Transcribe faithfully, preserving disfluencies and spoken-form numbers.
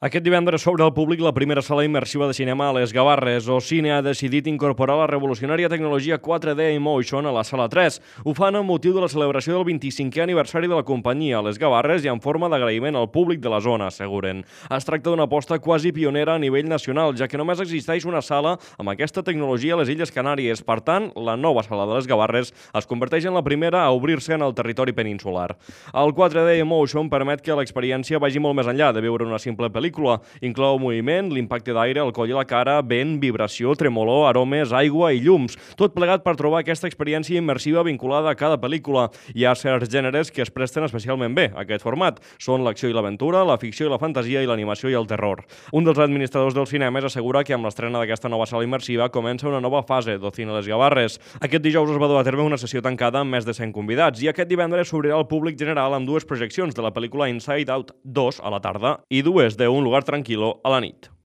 Aquest divendres s'obre al públic la primera sala immersiva de cinema a les Gavarres. Ocine ha decidit incorporar la revolucionària tecnologia quatre D Emotion a la sala tres. Ho fan amb motiu de la celebració del vint-i-cinquè aniversari de la companyia a les Gavarres i en forma d'agraïment al públic de la zona, asseguren. Es tracta d'una aposta quasi pionera a nivell nacional, ja que només existeix una sala amb aquesta tecnologia a les Illes Canàries. Per tant, la nova sala de les Gavarres es converteix en la primera a obrir-se en el territori peninsular. El quatre D Emotion permet que l'experiència vagi molt més enllà de veure una simple pel·lícula. Inclou moviment, l'impacte d'aire al coll i la cara, vent, vibració, tremolor, aromes, aigua i llums. Tot plegat per trobar aquesta experiència immersiva vinculada a cada pel·lícula. Hi ha certs gèneres que es presten especialment bé a aquest format. Són l'acció i l'aventura, la ficció i la fantasia i l'animació i el terror. Un dels administradors dels cinemes assegura que amb l'estrena d'aquesta nova sala immersiva comença una nova fase d'Ocine Les Gavarres. Aquest dijous es va dur a terme una sessió tancada amb més de cent convidats i aquest divendres s'obrirà al públic general amb dues projeccions de la pel·lícula Inside Out dos a la tarda i dues de Un lugar tranquilo a la nit.